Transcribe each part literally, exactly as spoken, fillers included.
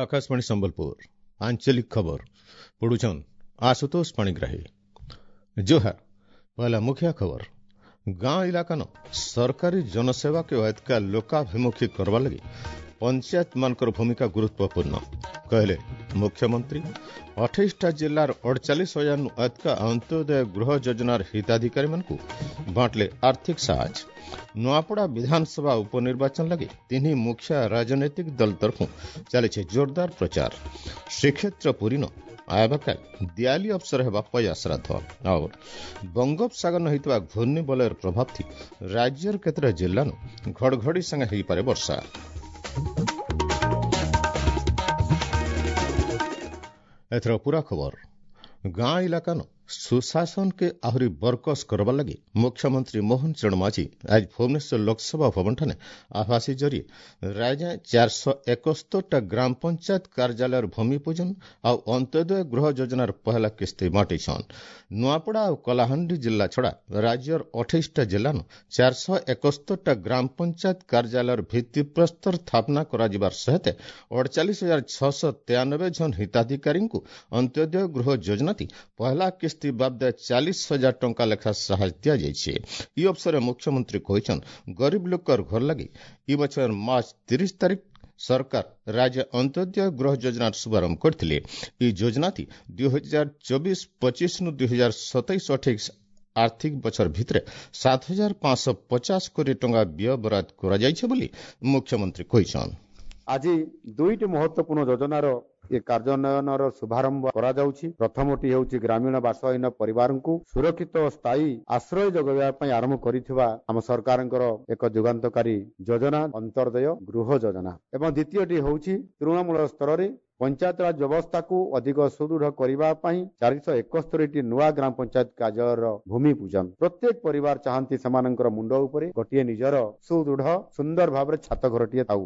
Akashvani Sambalpur आंचलिक खबर पढ़ुछन आशुतोष पाणिग्राही। जोहार। पहला मुख्य खबर, गांव इलाका न सरकारी जनसेवा के अधिका लोकाभिमुखी करवा लगी पंचायत मानकर भूमिका गुरुत्वपूर्ण कहले मुख्यमंत्री। अठाईसटा जिलार अड़चालीस हजार अधिका अंत्योदय गृह योजनार हिताधिकारी मानकु बांटले आर्थिक साहाଯ୍य। नुआपड़ा विधानसभा उपनिर्वाचन लगी तीन मुख्य राजनैतिक दल तरफ चली जोरदार प्रचार। श्रीक्षेत्र पुरी न आयबाकाल दियाली अवसर हेबा पया श्राद्ध। और बंगोपसागर होइतबा घूर्णिबलयर प्रभाव थी राज्यर केतरा जिल्लानु घड़घड़ी संगे होइपारे वर्षा। एथर पूरा खबर। गांव इलाका न सुशासन के आहुरी बरकस करवा लगी मुख्यमंत्री मोहन चरण माझी आज भुवनेश्वर लोकसभा भवन ठाने आभासी जरिए राज्य चार सौ एकस्तरटा ग्राम पंचायत कार्यालय भूमि पूजन आउ अंत्योदय गृह योजनार पहला किस्ती बांटिछन। नुआपड़ा और कलाहांडी जिला छड़ा राज्यर अठाईसटा जिलानु चार सौ एकस्तरटा ग्राम पंचायत कार्यालय भित्तिप्रस्तर स्थापना कराଯିବାର सहित अड़चालीस हजार छह सौ तेयानबे जन हिताधिकारी अंत्योदय गृह योजना थी पहला किस्ती बाबद चालीस हजार टंका लेखा साहाଯ୍य दियाଯାଇଛି। ଇ ଅବସରରେ ମୁଖ୍ୟମନ୍ତ୍ରୀ କହିଛନ୍, ଗରିବ ଲୋକର ଘର ଲାଗି ଇ ବଛର ମାର୍ଚ୍ଚ ତିରିଶ ତାରିଖ ସରକାର ରାଜ୍ୟ ଅନ୍ତ୍ୟୋଦୟ ଗୃହ ଯୋଜନାର ଶୁଭାରମ୍ଭ କରିଥିଲେ। ଏହି ଯୋଜନାଟି ଦୁଇ ହଜାର ଚବିଶ ପଚିଶ ନୁ ଦୁଇ ହଜାର ସତେଇଶ ଅଠେଇଶ ଆର୍ଥିକ ବଛର ଭିତରେ ସାତ ହଜାର ପାଞ୍ଚଶହ ପଚାଶ କୋଟି ଟଙ୍କା ବ୍ୟୟ ବରାଦ କରାଯାଇଛି ବୋଲି ମୁଖ୍ୟମନ୍ତ୍ରୀ କହିଛନ୍। ଆଜି ଦୁଇଟି ମହତ୍ୱପୂର୍ଣ୍ଣ ଯୋଜନାର ଏ କାର୍ଯ୍ୟାନ୍ୱୟନର ଶୁଭାରମ୍ଭ କରାଯାଉଛି। ପ୍ରଥମଟି ହେଉଛି ଗ୍ରାମୀଣ ବାସହୀନ ପରିବାରଙ୍କୁ ସୁରକ୍ଷିତ ଓ ସ୍ଥାୟୀ ଆଶ୍ରୟ ଯୋଗାଇବା ପାଇଁ ଆରମ୍ଭ କରିଥିବା ଆମ ସରକାରଙ୍କର ଏକ ଯୁଗାନ୍ତକାରୀ ଯୋଜନା ଅନ୍ତର୍ଦୟ ଗୃହ ଯୋଜନା, ଏବଂ ଦ୍ୱିତୀୟଟି ହେଉଛି ତୃଣମୂଳ ସ୍ତରରେ ପଞ୍ଚାୟତରାଜ ବ୍ୟବସ୍ଥାକୁ ଅଧିକ ସୁଦୃଢ଼ କରିବା ପାଇଁ ଚାରିଶହ ଏକସ୍ତରୀଟି ନୂଆ ଗ୍ରାମ ପଞ୍ଚାୟତ କାର୍ଯ୍ୟାଳୟର ଭୂମି ପୂଜନ। ପ୍ରତ୍ୟେକ ପରିବାର ଚାହାନ୍ତି ସେମାନଙ୍କର ମୁଣ୍ଡ ଉପରେ ଗୋଟିଏ ନିଜର ସୁଦୃଢ଼ ସୁନ୍ଦର ଭାବରେ ଛାତ ଘରଟିଏ ଥାଉ।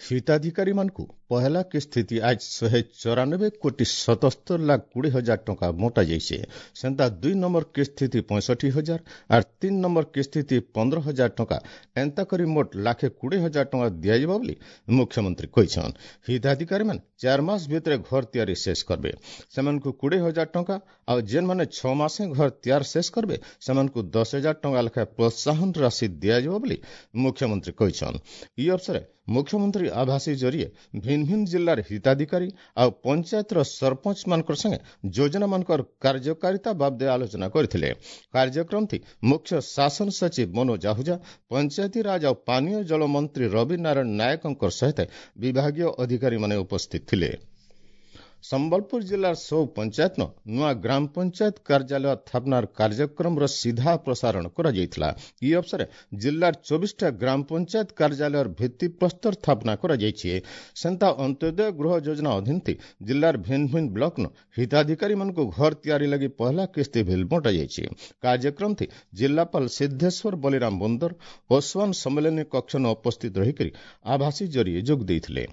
ହିତାଧିକାରୀ ମାନଙ୍କୁ ପହଲା କିସ୍ତି ଆଜ ଶହେ ଚଉରାନବେ କୋଟି ସତସ୍ତର ଲାଖ କୋଡ଼ିଏ ହଜାର ଟଙ୍କା ବଣ୍ଟା ଯାଇଛି। ସେନ୍ତା ଦୁଇ ନମ୍ବର କିସ୍ତି ପଞ୍ଚଷଠି ହଜାର ଆର୍ ତିନି ନମ୍ବର କିସ୍ତି ପନ୍ଦର ହଜାର ଟଙ୍କା ଏନ୍ତା କରି ମୋଟ ଲାଖେ କୋଡ଼ିଏ ହଜାର ଟଙ୍କା ଦିଆଯିବ ବୋଲି ମୁଖ୍ୟମନ୍ତ୍ରୀ କହିଛନ୍। ହିତାଧିକାରୀ ମାନେ ଚାରି ମାସ ଭିତରେ ଘର ତିଆରି ଶେଷ କରିବେ, ସେମାନଙ୍କୁ କୋଡ଼ିଏ ହଜାର ଟଙ୍କା ଆଉ ଯେନ୍ମାନେ ଛଅ ମାସେ ଘର ତିଆରି ଶେଷ କରିବେ ସେମାନଙ୍କୁ ଦଶ ହଜାର ଟଙ୍କା ଲେଖାଏଁ ପ୍ରୋତ୍ସାହନ ରାଶି ଦିଆଯିବ ବୋଲି ମୁଖ୍ୟମନ୍ତ୍ରୀ କହିଛନ୍। ଇ ଅବସରେ ମୁଖ୍ୟମନ୍ତ୍ରୀ ଆଭାସୀ ଜରିଏ ଭିନ୍ନ ଭିନ୍ନ ଜିଲ୍ଲାର ହିତାଧିକାରୀ ଆଉ ପଞ୍ଚାୟତର ସରପଞ୍ଚ ମାନଙ୍କର ସାଙ୍ଗେ ଯୋଜନାମାନଙ୍କର କାର୍ଯ୍ୟକାରିତା ବାବଦେ ଆଲୋଚନା କରିଥିଲେ। କାର୍ଯ୍ୟକ୍ରମଟି ମୁଖ୍ୟ ଶାସନ ସଚିବ ମନୋଜ ଆହୁଜା, ପଞ୍ଚାୟତିରାଜ ଆଉ ପାନୀୟ ଜଳ ମନ୍ତ୍ରୀ ରବି ନାରାୟଣ ନାୟକଙ୍କ ସହିତ ବିଭାଗୀୟ ଅଧିକାରୀମାନେ ଉପସ୍ଥିତ ଥିଲେ। ସମ୍ବଲପୁର ଜିଲ୍ଲାର ସବୁ ପଞ୍ଚାୟତ ନୂଆ ଗ୍ରାମ ପଞ୍ଚାୟତ କାର୍ଯ୍ୟାଳୟ ସ୍ଥାପନାର କାର୍ଯ୍ୟକ୍ରମର ସିଧା ପ୍ରସାରଣ କରାଯାଇଥିଲା। ଇ ଅବସରରେ ଜିଲ୍ଲାର ଚବିଶଟା ଗ୍ରାମ ପଞ୍ଚାୟତ କାର୍ଯ୍ୟାଳୟର ଭିତ୍ତିପ୍ରସ୍ତର ସ୍ଥାପନା କରାଯାଇଛି। ସେନ୍ତା ଅନ୍ତ୍ୟୋଦୟ ଗୃହ ଯୋଜନା ଅଧୀନ ଜିଲ୍ଲାର ଭିନ୍ନ ଭିନ୍ନ ବ୍ଲକନ ହିତାଧିକାରୀମାନଙ୍କୁ ଘର ତିଆରି ଲାଗି ପହଲା କିସ୍ତି ବିଲ୍ ବଣ୍ଟାଯାଇଛି। କାର୍ଯ୍ୟକ୍ରମଟି ଜିଲ୍ଲାପାଳ ସିଦ୍ଧେଶ୍ୱର ବଳିରାମ ବୋନ୍ଦର ଓସ୍ୱାନ ସମ୍ମିଳନୀ କକ୍ଷନ ଉପସ୍ଥିତ ରହିକରି ଆଭାସୀ ଜରିଏ ଯୋଗ ଦେଇଥିଲେ।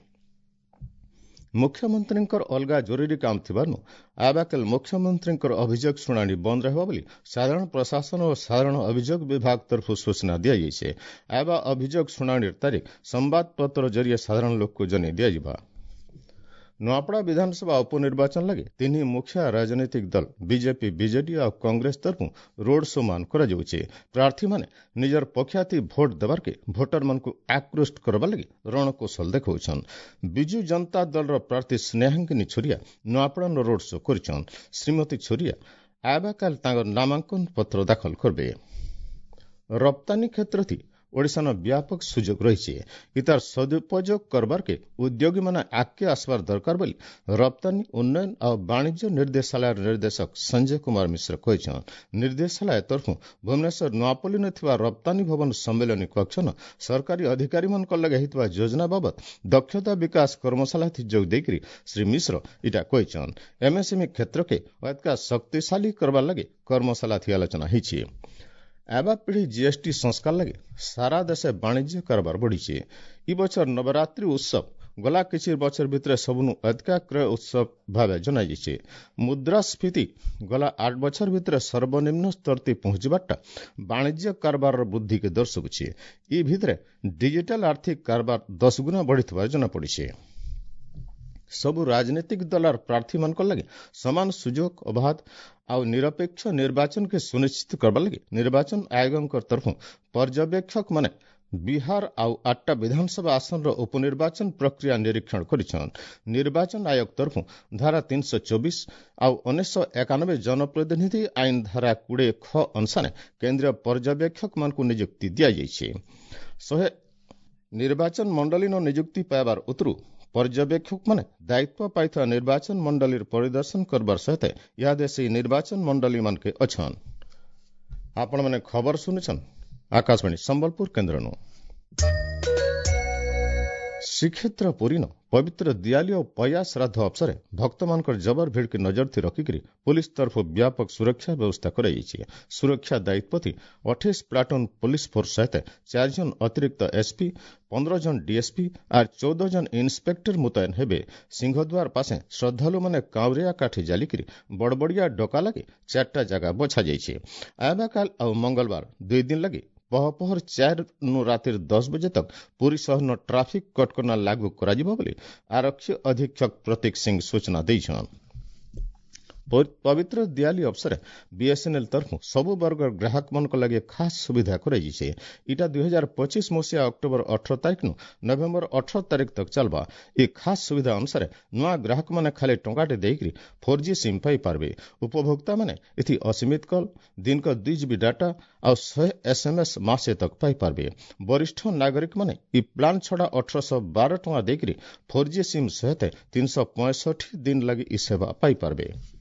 ମୁଖ୍ୟମନ୍ତ୍ରୀଙ୍କର ଅଲଗା ଜରୁରୀ କାମ ଥିବାରୁ ଆବାକେଲ ମୁଖ୍ୟମନ୍ତ୍ରୀଙ୍କର ଅଭିଯୋଗ ଶୁଣାଣି ବନ୍ଦ ରହିବ ବୋଲି ସାଧାରଣ ପ୍ରଶାସନ ଓ ସାଧାରଣ ଅଭିଯୋଗ ବିଭାଗ ତରଫରୁ ସୂଚନା ଦିଆଯାଇଛି। ଆବା ଅଭିଯୋଗ ଶୁଣାଣିର ତାରିଖ ସମ୍ବାଦପତ୍ର ଜରିଏ ସାଧାରଣ ଲୋକକୁ ଜଣାଇ ଦିଆଯିବ। ନୂଆପଡ଼ା ବିଧାନସଭା ଉପନିର୍ବାଚନ ଲାଗି ତିନି ମୁଖ୍ୟ ରାଜନୈତିକ ଦଳ ବିଜେପି, ବିଜେଡି ଆଉ କଂଗ୍ରେସ ତରଫରୁ ରୋଡ୍ ଶୋ ମାନ କରାଯାଉଛି। ପ୍ରାର୍ଥୀମାନେ ନିଜର ପକ୍ଷାତି ଭୋଟ ଦେବାର୍କେ ଭୋଟରମାନଙ୍କୁ ଆକୃଷ୍ଟ କରିବା ଲାଗି ରଣକୌଶଳ ଦେଖାଉଛନ୍। ବିଜୁ ଜନତା ଦଳର ପ୍ରାର୍ଥୀ ସ୍ନେହାଙ୍ଗିନୀ ଛୁରିଆ ନୂଆପଡ଼ାନ ରୋଡ୍ ଶୋ କରିଛନ୍। ଶ୍ରୀମତୀ ଛୁରିଆ ଆବାକାଲ ତାଙ୍କର ନାମାଙ୍କନ ପତ୍ର ଦାଖଲ କରିବେ। ରପ୍ତାନୀ କ୍ଷେତ୍ରଥି ଓଡ଼ିଶାନ ବ୍ୟାପକ ସୁଯୋଗ ରହିଛି, ଇତାର ସଦୁପଯୋଗ କରବାର୍କେ ଉଦ୍ୟୋଗୀମାନେ ଆଗକେ ଆସିବାର ଦରକାର ବୋଲି ରପ୍ତାନୀ ଉନ୍ନୟନ ଆଉ ବାଣିଜ୍ୟ ନିର୍ଦ୍ଦେଶାଳୟର ନିର୍ଦ୍ଦେଶକ ସଞ୍ଜୟ କୁମାର ମିଶ୍ର କହିଛନ୍। ନିର୍ଦ୍ଦେଶାଳୟ ତରଫରୁ ଭୁବନେଶ୍ୱର ନୂଆପଲ୍ଲୀରେ ଥିବା ରପ୍ତାନୀ ଭବନ ସମ୍ମିଳନୀ କକ୍ଷନ ସରକାରୀ ଅଧିକାରୀମାନଙ୍କ ଲାଗି ହେଇଥିବା ଯୋଜନା ବାବଦ ଦକ୍ଷତା ବିକାଶ କର୍ମଶାଳାଥି ଯୋଗ ଦେଇକରି ଶ୍ରୀ ମିଶ୍ର ଇଟା କହିଛନ୍। ଏମ୍ଏସ୍ଏମ୍ଇ କ୍ଷେତ୍ରକେ ଅଧିକା ଶକ୍ତିଶାଳୀ କରବାର ଲାଗି କର୍ମଶାଳାଥି ଆଲୋଚନା ହେଇଛି। ଆବା ପିଢ଼ି ଜିଏସ୍ଟି ସଂସ୍କାର ଲାଗି ସାରା ଦେଶେ ବାଣିଜ୍ୟ କାରବାର ବଢ଼ିଛି। ଇ ବଛର ନବରାତ୍ରି ଉତ୍ସବ ଗଲା କିଛି ବଛର ଭିତରେ ସବୁନୁ ଅଧିକା କ୍ରୟ ଉତ୍ସବ ଭାବେ ଜଣାଯାଇଛି। ମୁଦ୍ରାସ୍ଫୀତି ଗଲା ଆଠ ବଛର ଭିତରେ ସର୍ବନିମ୍ନ ସ୍ତରତି ପହଞ୍ଚିବାରଟା ବାଣିଜ୍ୟ କାରବାରର ବୃଦ୍ଧିକେ ଦର୍ଶାଉଛି। ଇ ଭିତରେ ଡିଜିଟାଲ ଆର୍ଥିକ କାରବାର ଦଶ ଗୁଣା ବଢ଼ିଥିବାର ଜଣାପଡ଼ିଛି। ସବୁ ରାଜନୈତିକ ଦଳର ପ୍ରାର୍ଥୀମାନଙ୍କ ଲାଗି ସମାନ ସୁଯୋଗ, ଅବାଧ ଆଉ ନିରପେକ୍ଷ ନିର୍ବାଚନକେ ସୁନିଶ୍ଚିତ କରବା ଲାଗି ନିର୍ବାଚନ ଆୟୋଗଙ୍କ ତରଫରୁ ପର୍ଯ୍ୟବେକ୍ଷକମାନେ ବିହାର ଆଉ ଆଠଟା ବିଧାନସଭା ଆସନର ଉପନିର୍ବାଚନ ପ୍ରକ୍ରିୟା ନିରୀକ୍ଷଣ କରିଛନ୍। ନିର୍ବାଚନ ଆୟୋଗ ତରଫରୁ ଧାରା ତିନିଶହ ଚବିଶ ଆଉ ଉଣେଇଶହ ଏକାନବେ ଜନପ୍ରତିନିଧି ଆଇନ ଧାରା କୋଡ଼ିଏ ଖ ଅନୁସାରେ କେନ୍ଦ୍ରୀୟ ପର୍ଯ୍ୟବେକ୍ଷକମାନଙ୍କୁ ନିଯୁକ୍ତି ଦିଆଯାଇଛି। ଶହେ ନିର୍ବାଚନ ମଣ୍ଡଳୀନ ନିଯୁକ୍ତି ପାଇବାର ଉତ୍ତରୁ ପର୍ଯ୍ୟବେକ୍ଷକମାନେ ଦାୟିତ୍ୱ ପାଇଥିବା ନିର୍ବାଚନ ମଣ୍ଡଳୀର ପରିଦର୍ଶନ କରବାର ସହିତ ଇହାଦେ ସେହି ନିର୍ବାଚନ ମଣ୍ଡଳୀମାନକେ ଅଛନ୍। ଆପଣମାନେ ଖବର ଶୁଣୁଛନ୍ ଆକାଶବାଣୀ ସମ୍ବଲପୁର କେନ୍ଦ୍ରନୁ। ଶ୍ରୀକ୍ଷେତ୍ର ପୁରୀନ ପବିତ୍ର ଦିଆଲି ଓ ପୟା ଶ୍ରାଦ୍ଧ ଅବସରେ ଭକ୍ତମାନଙ୍କର ଜବର ଭିଡ଼କେ ନଜର ଥି ରଖିକରି ପୁଲିସ ତରଫରୁ ବ୍ୟାପକ ସୁରକ୍ଷା ବ୍ୟବସ୍ଥା କରାଯାଇଛି। ସୁରକ୍ଷା ଦାୟିତ୍ୱ ଅଠେଇଶ ପ୍ଲାଟୁନ୍ ପୁଲିସ ଫୋର୍ସ ସହିତ ଚାରି ଜଣ ଅତିରିକ୍ତ ଏସ୍ପି, ପନ୍ଦର ଜଣ ଡିଏସ୍ପି ଆର୍ ଚଉଦ ଜଣ ଇନ୍ସପେକ୍ଟର ମୁତୟନ ହେବେ। ସିଂହଦ୍ୱାର ପାଶେ ଶ୍ରଦ୍ଧାଳୁମାନେ କାଉଁରିଆ କାଠି ଜାଲିକରି ବଡ଼ବଡ଼ିଆ ଡକା ଲାଗି ଚାରିଟା ଜାଗା ବଛାଯାଇଛି। ଆବାକାଲ ଆଉ ମଙ୍ଗଳବାର ଦୁଇ ଦିନ ଲାଗି ପହପହର ଚାରିନୁ ରାତିର ଦଶ ବଜେ ତକ ପୁରୀ ସହରର ଟ୍ରାଫିକ୍ କଟକଣା ଲାଗୁ କରାଯିବ ବୋଲି ଆରକ୍ଷୀ ଅଧୀକ୍ଷକ ପ୍ରତୀକ ସିଂ ସୂଚନା ଦେଇଛନ୍। ପବିତ୍ର ଦିଆଲି ଅବସରେ ବିଏସ୍ଏନ୍ଏଲ୍ ତରଫରୁ ସବୁ ବର୍ଗର ଗ୍ରାହକମାନଙ୍କ ଲାଗି ଖାସ୍ ସୁବିଧା କରାଯାଇଛି। ଇଟା ଦୁଇ ହଜାର ପଚିଶ ମସିହା ଅକ୍ଟୋବର ଅଠର ତାରିଖନୁ ନଭେମ୍ବର ଅଠର ତାରିଖ ତକ ଚାଲବା। ଏ ଖାସ୍ ସୁବିଧା ଅନୁସାରେ ନୂଆ ଗ୍ରାହକମାନେ ଖାଲି ଟଙ୍କାଟେ ଦେଇକରି ଫୋର୍ ଜି ସିମ୍ ପାଇପାରିବେ। ଉପଭୋକ୍ତାମାନେ ଏଥି ଅସୀମିତ କଲ୍, ଦିନକ ଦୁଇ ଜିବି ଡାଟା ଆଉ ଶହେ ଏସ୍ଏମ୍ଏସ୍ ମାସେ ତକ ପାଇପାରିବେ। ବରିଷ୍ଠ ନାଗରିକମାନେ ଇ ପ୍ଲାନ୍ ଛଡ଼ା ଅଠରଶହ ବାର ଟଙ୍କା ଦେଇକରି ଫୋର୍ ଜି ସିମ୍ ସହିତ ତିନିଶହ ପଞ୍ଚଷଠି ଦିନ ଲାଗି ଇ ସେବା ପାଇପାରିବେ।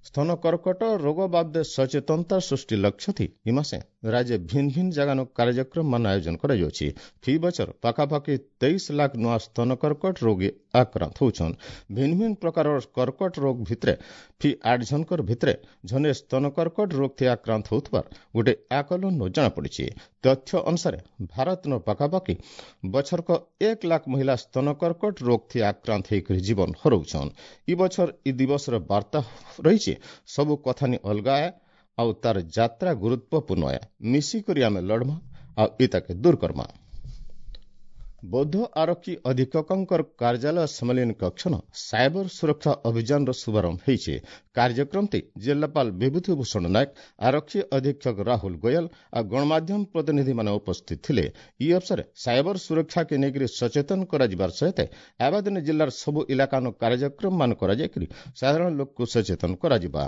ସ୍ତନ କର୍କଟ ରୋଗ ବାବଦେ ସଚେତନତା ସୃଷ୍ଟି ଲକ୍ଷ୍ୟ ଥି ଇ ମାସେ ରାଜ୍ୟ ଭିନ୍ନ ଭିନ୍ନ ଜାଗାନୁ କାର୍ଯ୍ୟକ୍ରମ ମାନ ଆୟୋଜନ କରାଯାଉଛି। ଫି ବଛର ପାଖାପାଖି ତେଇଶ ଲାଖ ନୂଆ ସ୍ତନ କର୍କଟ ରୋଗୀ ଆକ୍ରାନ୍ତ ହେଉଛନ୍। ଭିନ୍ନ ଭିନ୍ନ ପ୍ରକାରର କର୍କଟ ରୋଗ ଭିତରେ ଫି ଆଠ ଜଣଙ୍କର ଭିତରେ ଜଣେ ସ୍ତନ କର୍କଟ ରୋଗ ଥି ଆକ୍ରାନ୍ତ ହେଉଥିବାର ଗୋଟେ ଆକଳନ ଜଣାପଡ଼ିଛି। ତଥ୍ୟ ଅନୁସାରେ ଭାରତର ପାଖାପାଖି ବଛରକ ଏକ ଲାଖ ମହିଳା ସ୍ତନ କର୍କଟ ରୋଗ ଥି ଆକ୍ରାନ୍ତ ହେଇକରି ଜୀବନ ହରଉଛନ୍। ଇ ବଛର ଇ ଦିବସର ବାର୍ତ୍ତା ରହିଛି ସବୁ କଥାନି ଅଲଗା ଆଉ ତାର ଯାତ୍ରା ଗୁରୁତ୍ୱପୂର୍ଣ୍ଣ ଏ, ମିଶିକରି ଆମେ ଲଢ଼ମା ଆଉ ଇତାକେ ଦୂର କର୍ମା। ବୌଦ୍ଧ ଆରକ୍ଷୀ ଅଧୀକ୍ଷକଙ୍କର କାର୍ଯ୍ୟାଳୟ ସମ୍ମିଳନୀ କକ୍ଷନ ସାଇବର ସୁରକ୍ଷା ଅଭିଯାନର ଶୁଭାରମ୍ଭ ହୋଇଛି। କାର୍ଯ୍ୟକ୍ରମଟି ଜିଲ୍ଲାପାଳ ବିଭୂତି ଭୂଷଣ ନାୟକ, ଆରକ୍ଷୀ ଅଧୀକ୍ଷକ ରାହୁଲ ଗୋୟଲ ଆଉ ଗଣମାଧ୍ୟମ ପ୍ରତିନିଧିମାନେ ଉପସ୍ଥିତ ଥିଲେ। ଇ ଅବସରେ ସାଇବର ସୁରକ୍ଷାକେ ନେଇକରି ସଚେତନ କରାଯିବାର ସହିତ ଆବାଦିନ ଜିଲ୍ଲାର ସବୁ ଇଲାକାନ କାର୍ଯ୍ୟକ୍ରମମାନ କରାଯାଇକରି ସାଧାରଣ ଲୋକକୁ ସଚେତନ କରାଯିବା।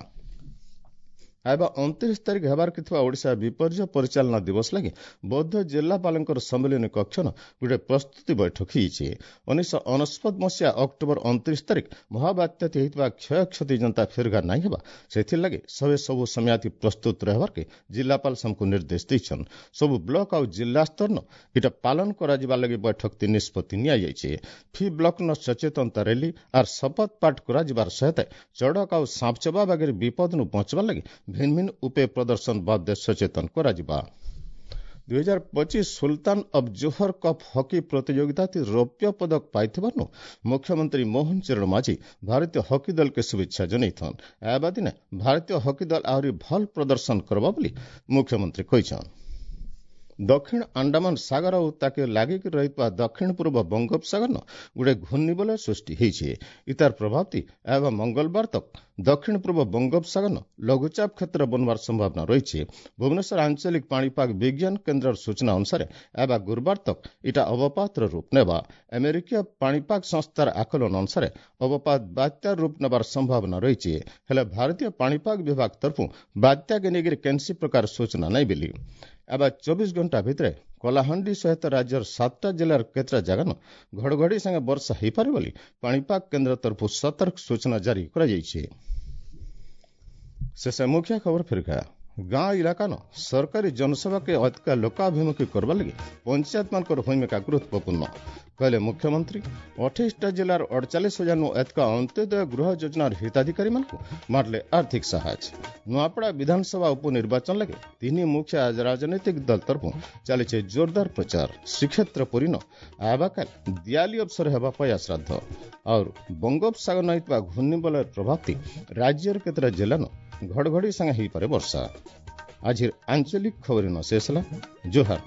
ଆଇବା ଅଣତିରିଶ ତାରିଖ ହେବାର ଥିବା ଓଡ଼ିଶା ବିପର୍ଯ୍ୟୟ ପରିଚାଳନା ଦିବସ ଲାଗି ବୌଦ୍ଧ ଜିଲ୍ଲାପାଳଙ୍କର ସମ୍ମିଳନୀ କକ୍ଷନ ଗୋଟେ ପ୍ରସ୍ତୁତି ବୈଠକ ହେଇଛି। ଉଣେଇଶହ ଅନେଶତ ମସିହା ଅକ୍ଟୋବର ଅଣତିରିଶ ତାରିଖ ମହାବାତ୍ୟାତି ହେଇଥିବା କ୍ଷୟକ୍ଷତି ଜନତା ଫେରଘାର ନାଇଁ ହେବା ସେଥିର୍ଲାଗି ସବେ ସବୁ ସମୟାତି ପ୍ରସ୍ତୁତ ରହିବାର୍କେ ଜିଲ୍ଲାପାଳ ସମସ୍ତଙ୍କୁ ନିର୍ଦ୍ଦେଶ ଦେଇଛନ୍। ସବୁ ବ୍ଲକ ଆଉ ଜିଲ୍ଲା ସ୍ତରନ ଏଇଟା ପାଳନ କରାଯିବା ଲାଗି ବୈଠକଟି ନିଷ୍ପତ୍ତି ନିଆଯାଇଛି। ଫି ବ୍ଲକନ ସଚେତନତା ର୍ୟାଲି ଆର୍ ଶପଥ ପାଠ କରାଯିବାର ସହିତ ଚଡ଼କ ଆଉ ସାପଚବା ବାଗିରେ ବିପଦନୁ ବଞ୍ଚବା ଲାଗି ଭିନ୍ନ ଭିନ୍ନ ଉପାୟ ପ୍ରଦର୍ଶନ ବାବଦେ ସଚେତନ କରାଯିବା। ଦୁଇ ହଜାର ପଚିଶ Sultan of Johor cup hockey ପ୍ରତିଯୋଗିତାତି ରୌପ୍ୟ ପଦକ ପାଇଥିବାରୁ ମୁଖ୍ୟମନ୍ତ୍ରୀ ମୋହନ ଚରଣ ମାଝୀ ଭାରତୀୟ ହକି ଦଳକେ ଶୁଭେଚ୍ଛା ଜଣାଇଛନ୍। ଆଇବା ଦିନେ ଭାରତୀୟ ହକି ଦଳ ଆହୁରି ଭଲ ପ୍ରଦର୍ଶନ କରବା ବୋଲି ମୁଖ୍ୟମନ୍ତ୍ରୀ କହିଛନ୍। ଦକ୍ଷିଣ ଆଣ୍ଡାମାନ ସାଗର ଆଉ ତାକେ ଲାଗିକି ରହିଥିବା ଦକ୍ଷିଣ ପୂର୍ବ ବଙ୍ଗୋପସାଗରନ ଗୋଟେ ଘୂର୍ଣ୍ଣିବଳୟ ସୃଷ୍ଟି ହେଇଛି। ଇତାର ପ୍ରଭାବଟି ଆଇବା ମଙ୍ଗଳବାର ତକ ଦକ୍ଷିଣ ପୂର୍ବ ବଙ୍ଗୋପସାଗରନ ଲଘୁଚାପ କ୍ଷେତ୍ର ବନବାର ସମ୍ଭାବନା ରହିଛି। ଭୁବନେଶ୍ୱର ଆଞ୍ଚଳିକ ପାଣିପାଗ ବିଜ୍ଞାନ କେନ୍ଦ୍ରର ସୂଚନା ଅନୁସାରେ ଆଇବା ଗୁରୁବାର ତକ ଇଟା ଅବପାତର ରୂପ ନେବା। ଆମେରିକୀୟ ପାଣିପାଗ ସଂସ୍ଥାର ଆକଳନ ଅନୁସାରେ ଅବପାତ ବାତ୍ୟାର ରୂପ ନେବାର ସମ୍ଭାବନା ରହିଛି। ହେଲେ ଭାରତୀୟ ପାଣିପାଗ ବିଭାଗ ତରଫରୁ ବାତ୍ୟାକେ ନେଇକରି କେନ୍ସି ପ୍ରକାର ସୂଚନା ନାଇଁ ବୋଲି। ଆବା ଚବିଶ ଘଣ୍ଟା ଭିତରେ କଳାହାଣ୍ଡି ସହିତ ରାଜ୍ୟର ସାତଟା ଜିଲ୍ଲାର କେତେଟା ଜାଗାନ ଘଡ଼ଘଡ଼ି ସାଙ୍ଗେ ବର୍ଷା ହୋଇପାରେ ବୋଲି ପାଣିପାଗ କେନ୍ଦ୍ର ତରଫରୁ ସତର୍କ ସୂଚନା ଜାରି କରାଯାଇଛି। ଶେଷ ମୁଖ୍ୟ ଖବର ଫେରିକା ଗାଁ ଇଲାକାନ ସରକାରୀ ଜନସେବାକେ ଅଧିକା ଲୋକାଭିମୁଖୀ କରବା ଲାଗି ପଞ୍ଚାୟତମାନଙ୍କର ଭୂମିକା ଗୁରୁତ୍ୱପୂର୍ଣ୍ଣ କହିଲେ ମୁଖ୍ୟମନ୍ତ୍ରୀ। ଅଠେଇଶଟା ଜିଲ୍ଲାର ଅଡ଼ଚାଳିଶ ହଜାରନୁ ଅଧିକା ଅନ୍ତ୍ୟୋଦୟ ଗୃହ ଯୋଜନାର ହିତାଧିକାରୀମାନଙ୍କୁ ମାରିଲେ ଆର୍ଥିକ ସାହାଯ୍ୟ। ନୂଆପଡ଼ା ବିଧାନସଭା ଉପନିର୍ବାଚନ ଲାଗି ତିନି ମୁଖ୍ୟ ରାଜନୈତିକ ଦଳ ତରଫରୁ ଚାଲିছে ଜୋରଦାର ପ୍ରଚାର। ଶ୍ରୀକ୍ଷେତ୍ର ପୁରୀନ ଆବାକାଲ ଦିଆଲି ଅବସର ହେବା ପାଇଁ ଶ୍ରାଦ୍ଧ। ଆଉ ବଙ୍ଗୋପସାଗର ହେଇଥିବା ଘୂର୍ଣ୍ଣିବଳୟର ପ୍ରଭାବ ରାଜ୍ୟର କେତେଟା ଜିଲ୍ଲାନ ଘଡ଼ଘଡ଼ି ସାଙ୍ଗେ ହେଇପାରେ ବର୍ଷା। ଆଜିର ଆଞ୍ଚଳିକ ଖବର ଶେଷ ହେଲା। ଜୁହାର।